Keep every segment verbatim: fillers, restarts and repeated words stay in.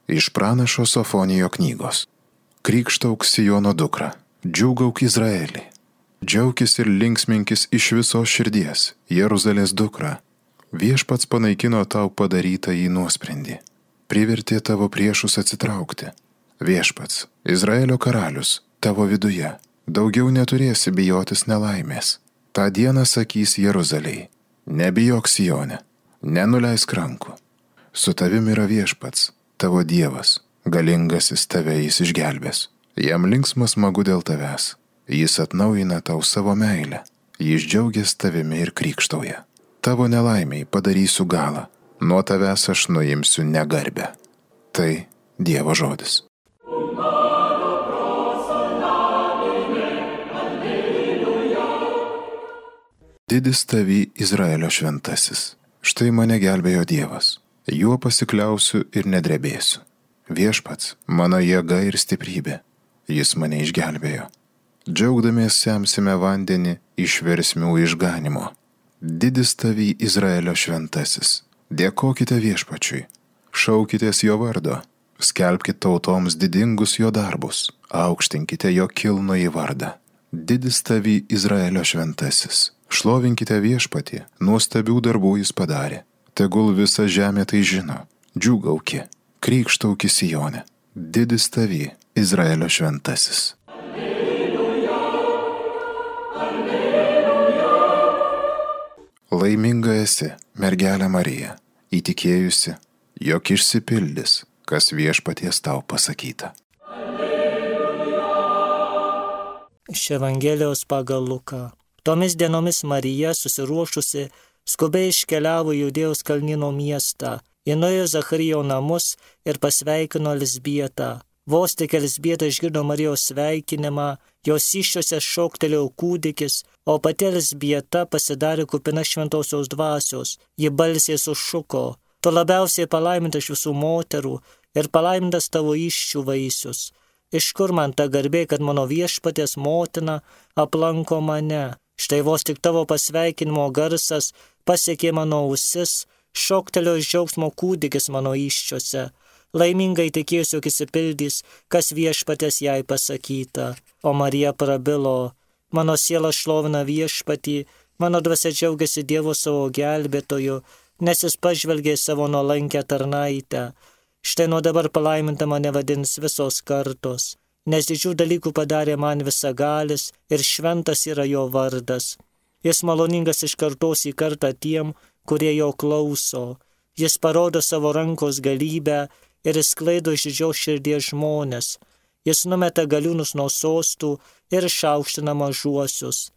Iš pranašo Sofonijo knygos. Krikštauk Siono dukra, džiūgauk Izraelį. Džiaukis ir linksminkis iš visos širdies, Jeruzalės dukra. Viešpats panaikino tau padarytą į nuosprendį. Privertė tavo priešus atsitraukti. Viešpats, Izraelio karalius, tavo viduje. Daugiau neturėsi bijotis nelaimės. Ta dieną sakys Jeruzalei, nebijok Sione, nenuleisk rankų. Su tavim yra Viešpats, tavo Dievas, galingasis tave jis išgelbės. Jam linksma smagu dėl tavęs. Jis atnaujina tau savo meilę. Jis džiaugiasi tavimi ir krikštauja. Tavo nelaimiai padarysiu galą. Nuo tavęs aš nuimsiu negarbę. Tai Dievo žodis. Didis tavy Izraelio šventasis. Štai mane gelbėjo Dievas. Juo pasikliausiu ir nedrebėsiu. Viešpats, mano jėga ir stiprybė. Jis mane išgelbėjo. Džiaugdamiesi semsime vandenį iš versmių išganimo. Didis tavy Izraelio šventasis. Dėkokite Viešpačiui. Šaukitės jo vardo. Skelbkite tautoms didingus jo darbus. Aukštinkite jo kilnųjį vardą. Didis tavy Izraelio šventasis. Šlovinkite Viešpatį, nuostabių darbų jis padarė. Tegul visa žemė tai žino. Džiūgauki, krikštauki Sione. Didis tavy Izraelio šventasis. Alleluja, alleluja. Laiminga esi, mergelė Marija, įtikėjusi, jog išsipildys, kas Viešpaties tau pasakyta. Alleluja. Iš Evangelijos pagal Luką. Tomis dienomis Marija, susiruošusi, skubiai iškeliavo į Judėjos kalnyno miestą. Ji nuėjo Zacharijo namus ir pasveikino Elzbietą. Vos tik Elzbieta išgirdo Marijos sveikinimą, jos įsčiose šoktelėjo kūdikis, o pati Elzbieta pasidarė kupina šventosios dvasios. Ji balsiai sušuko: tu labiausiai palaiminta iš visų moterų ir palaimintas tavo įsčių vaisius. Iš kur man ta garbė, kad mano Viešpaties motina aplanko mane? Štai vos tik tavo pasveikinimo garsas pasiekė mano ausis, šoktelio iš džiaugsmo kūdikis mano įsčiose. Laimingai tikėsiu, jog išsipildys, kas Viešpaties jai pasakyta. O Marija prabilo: mano siela šlovina Viešpatį, mano dvasia džiaugiasi Dievo savo gelbėtoju, nes jis pažvelgė savo nuolankę tarnaitę. Štai nuo dabar palaiminta mane vadins visos kartos, nes didžių dalykų padarė man visagalis ir šventas yra jo vardas. Jis maloningas iš kartos į kartą tiem, kurie jo klauso. Jis parodo savo rankos galybę ir sklaido iš didžios širdies žmonės. Jis numeta galiūnus nuo sostų ir išaukština mažuosius.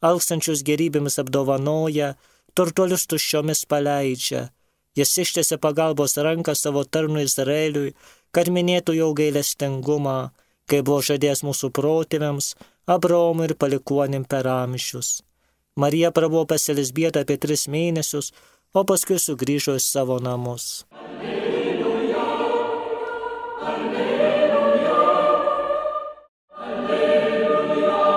Alkstančius gerybėmis apdovanoja, turtuolius tuščiomis paleidžia. Jis ištiesia pagalbos ranką savo tarnui Izraeliui, kad minėtų jo gailestingumą, kai buvo žadėjęs mūsų protėviams, Abraomui ir palikuonim per amžius. Marija prabuvo pas Elzbietą apie tris mėnesius, o paskui sugrįžo į savo namus. Alleluja, alleluja, alleluja.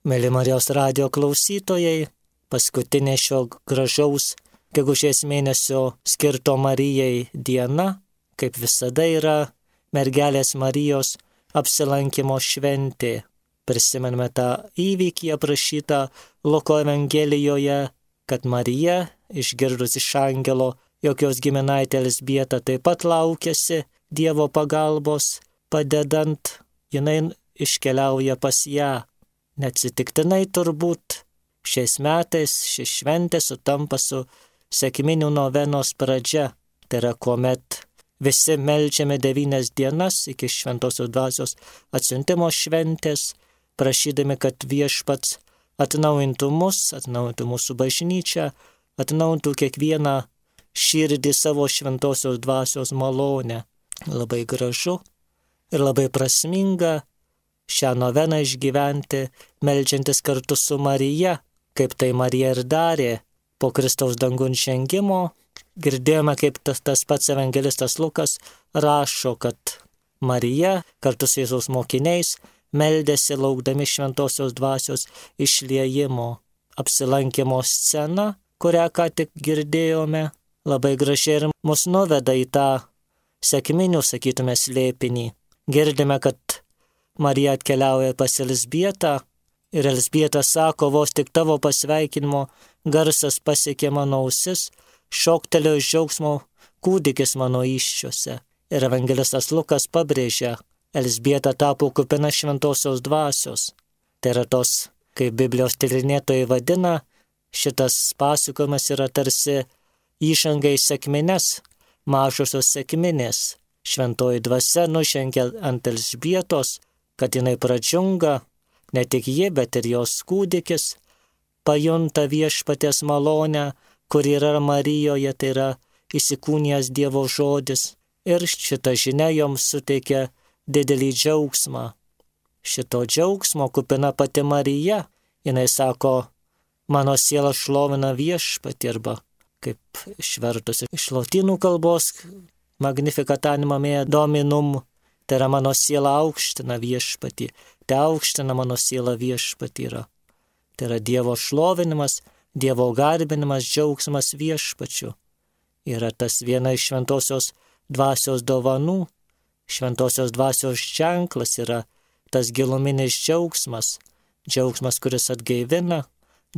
Mėly Marijos radijo klausytojai, paskutinė šio gražaus gegužės mėnesio skirto Marijai diena, kaip visada, yra mergelės Marijos apsilankimo šventė. Prisimename tą įvykį aprašytą Luko Evangelijoje, kad Marija, išgirdus iš angelo, jog jos giminaitė Elzbieta taip pat laukiasi Dievo pagalbos, padedant, jinai iškeliauja pas ją. Neatsitiktinai turbūt šiais metais ši šventė sutampa su sekminių novenos pradžia. Tai yra, kuomet visi meldžiame devynias dienas iki šventosios dvasios atsiuntimo šventės, prašydami, kad Viešpats atnaujintų mus, atnaujintų mūsų bažnyčią, atnaujintų kiekvieną širdį savo šventosios dvasios malonę. Labai gražu ir labai prasminga šią noveną išgyventi, meldžiantis kartu su Marija, kaip tai Marija ir darė po Kristaus dangun žengimo. Girdėjome, kaip tas, tas pats evangelistas Lukas rašo, kad Marija kartu su Jėzaus mokiniais meldėsi laukdami šventosios dvasios išliejimo. Apsilankimo scena, kurią ką tik girdėjome, labai gražiai ir mus nuveda į tą sekminių, sakytume, slėpinį. Girdime, kad Marija atkeliauja pas Elzbietą ir Elzbieta sako, vos tik tavo pasveikinimo garsas pasiekė mano ausis, šoktelėjo iš džiaugsmo kūdikis mano įsčiuose. Ir evangelistas Lukas pabrėžia, Elzbieta tapo kupina šventosios dvasios. Tai yra tos, kaip Biblijos tyrinėtojai vadina, šitas pasakojimas yra tarsi įžanga į sekmines, mažosios sekminės. Šventoji dvasia nužengia ant Elzbietos, kad jinai pradžiunga, ne tik ji, bet ir jos kūdikis, pajunta viešpaties malonę, kur yra Marijoje, tai yra įsikūnijęs Dievo žodis. Ir šita žinia joms suteikia didelį džiaugsmą. Šito džiaugsmo kupina pati Marija. Jinai sako, mano siela šlovina viešpatį, arba kaip išvertus iš lotynų kalbos, Magnificat anima mea Dominum, tai yra mano siela aukština viešpatį. Tai aukština mano siela viešpatį yra. Tai yra Dievo šlovinimas, Dievo garbinimas, džiaugsmas viešpačiu. Yra tas viena iš šventosios dvasios dovanų. Šventosios dvasios ženklas yra tas giluminis džiaugsmas. Džiaugsmas, kuris atgaivina,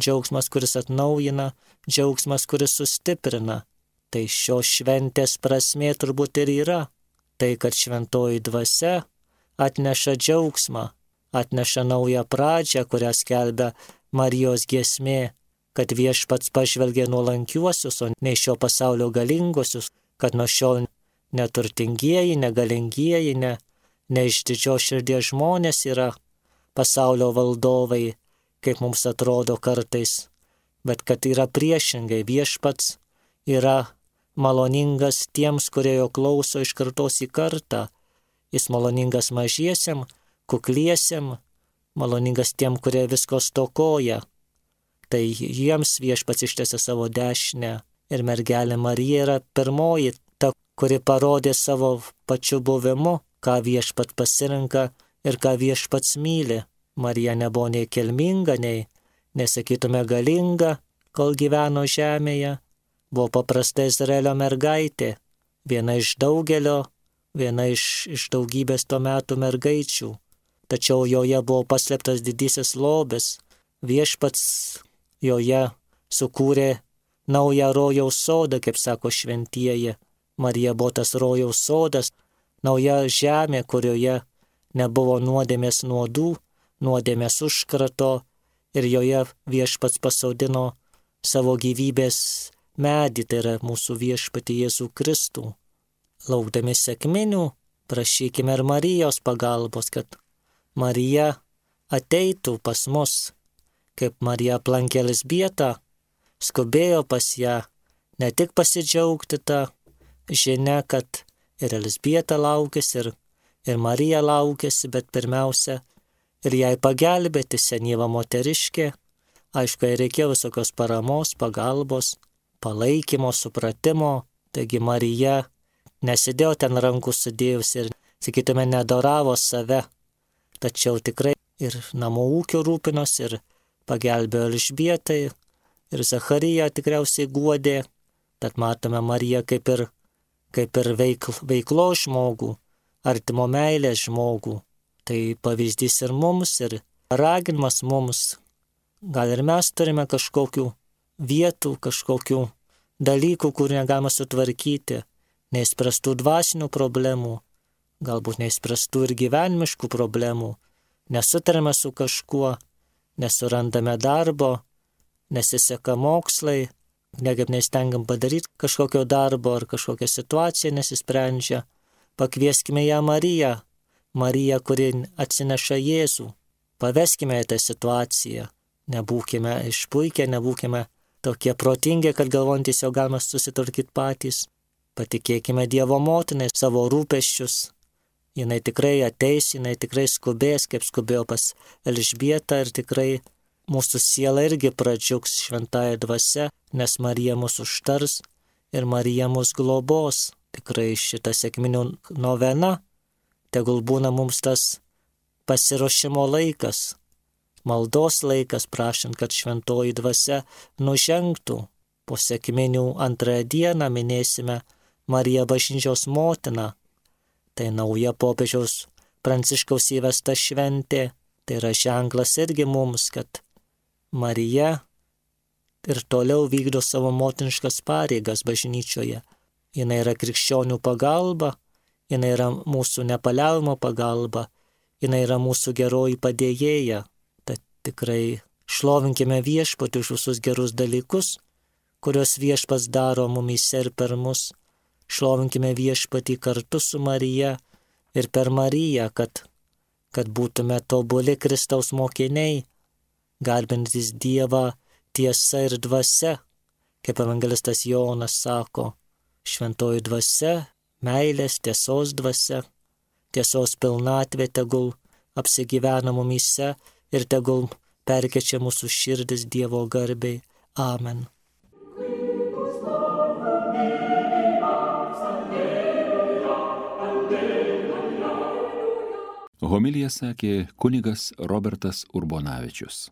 džiaugsmas, kuris atnaujina, džiaugsmas, kuris sustiprina. Tai šios šventės prasmė turbūt ir yra. Tai, kad šventoji dvasia atneša džiaugsmą, atneša naują pradžią, kurią skelbia Marijos giesmė, kad viešpats pažvelgia nuolankiuosius, o ne šio pasaulio galinguosius, kad nuo šiol neturtingieji, negalingieji, ne, ne iš didžios širdies žmonės yra pasaulio valdovai, kaip mums atrodo kartais, bet kad yra priešingai, viešpats yra maloningas tiems, kurie jo klauso iš kartos į kartą. Jis maloningas mažiesiam, kukliesiam, maloningas tiem, kurie visko stokoja. Tai jiems viešpats ištiesia savo dešinę. Ir mergelė Marija yra pirmoji, ta, kuri parodė savo pačiu buvimu, ką viešpat pasirenka ir ką viešpats myli. Marija nebuvo nei kilminga, nei, nesakytume, galinga, kol gyveno žemėje. Buvo paprasta Izraelio mergaitė, viena iš daugelio, viena iš, iš daugybės tuo metu mergaičių. Tačiau joje buvo paslėptas didysis lobis. Viešpats joje sukūrė naują rojaus sodą, kaip sako šventieji. Marija buvo tas rojaus sodas, nauja žemė, kurioje nebuvo nuodėmės nuodų, nuodėmės užkrato, ir joje viešpats pasodino savo gyvybės medį, tai yra mūsų viešpatį Jėzų Kristų. Laukdami sekminių, prašykime ir Marijos pagalbos, kad Marija ateitų pas mus, kaip Marija aplankė Elzbietą, skubėjo pas ją, ne tik pasidžiaugti tą žinią, kad ir Elzbieta laukėsi, ir, ir Marija laukėsi, bet pirmiausia, ir jai pagelbėti senyva moteriškė. Aišku, jai reikėjo visokios paramos, pagalbos, palaikymo, supratimo. Taigi Marija nesidėjo ten rankų sudėjus ir, sakytume, nedoravo save, tačiau tikrai ir namų ūkio rūpinos, ir pagelbėjo Elžbietai, ir Zachariją tikriausiai guodė. Tad matome Mariją kaip ir, kaip ir veikl, veiklo žmogų, artimo meilės žmogų. Tai pavyzdys ir mums, ir raginimas mums. Gal ir mes turime kažkokių vietų, kažkokių dalykų, kur negalima sutvarkyti, neįspręstų dvasinių problemų, galbūt neįspręstų ir gyvenimiškų problemų, nesutarime su kažkuo, nesurandame darbo, nesiseka mokslai, nekaip neįstengiam padaryti kažkokio darbo ar kažkokia situacija nesisprendžia. Pakvieskime ją Mariją, Mariją, kuri atsineša Jėzų. Paveskime į tą situaciją. Nebūkime išpuikę, nebūkime tokie protingi, kad galvojantys jau galime susitvarkyti patys. Patikėkime Dievo motinai savo rūpesčius. Jinai tikrai ateis, jinai tikrai skubės, kaip skubėjo pas Elžbietą, ir tikrai mūsų siela irgi pradžiugs šventąja dvasia, nes Marija mus užtars ir Marija mus globos. Tikrai šita sekminių novena tegul būna mums tas pasiruošimo laikas, maldos laikas, prašant, kad šventoji dvasia nužengtų. Po sekminių antrąją dieną minėsime Marija bažnyčios motina. Tai nauja popiežiaus Pranciškaus įvesta šventė. Tai yra ženklas irgi mums, kad Marija ir toliau vykdo savo motiniškas pareigas bažnyčioje. Jis yra krikščionių pagalba, jis yra mūsų nepaliaujama pagalba, jis yra mūsų geroji padėjėja. Tad tikrai šlovinkime Viešpatį už visus gerus dalykus, kuriuos Viešpats daro mumyse ir per mus. Šlovinkime Viešpatį kartu su Marija ir per Mariją, kad, kad būtume tobuli Kristaus mokiniai, garbintis Dievą tiesa ir dvasia, kaip evangelistas Jonas sako, šventoji dvasia, meilės, tiesos dvasia, tiesos pilnatvė tegul apsigyvena mumyse ir tegul perkečia mūsų širdis Dievo garbei. Amen. Homiliją sakė kunigas Robertas Urbonavičius.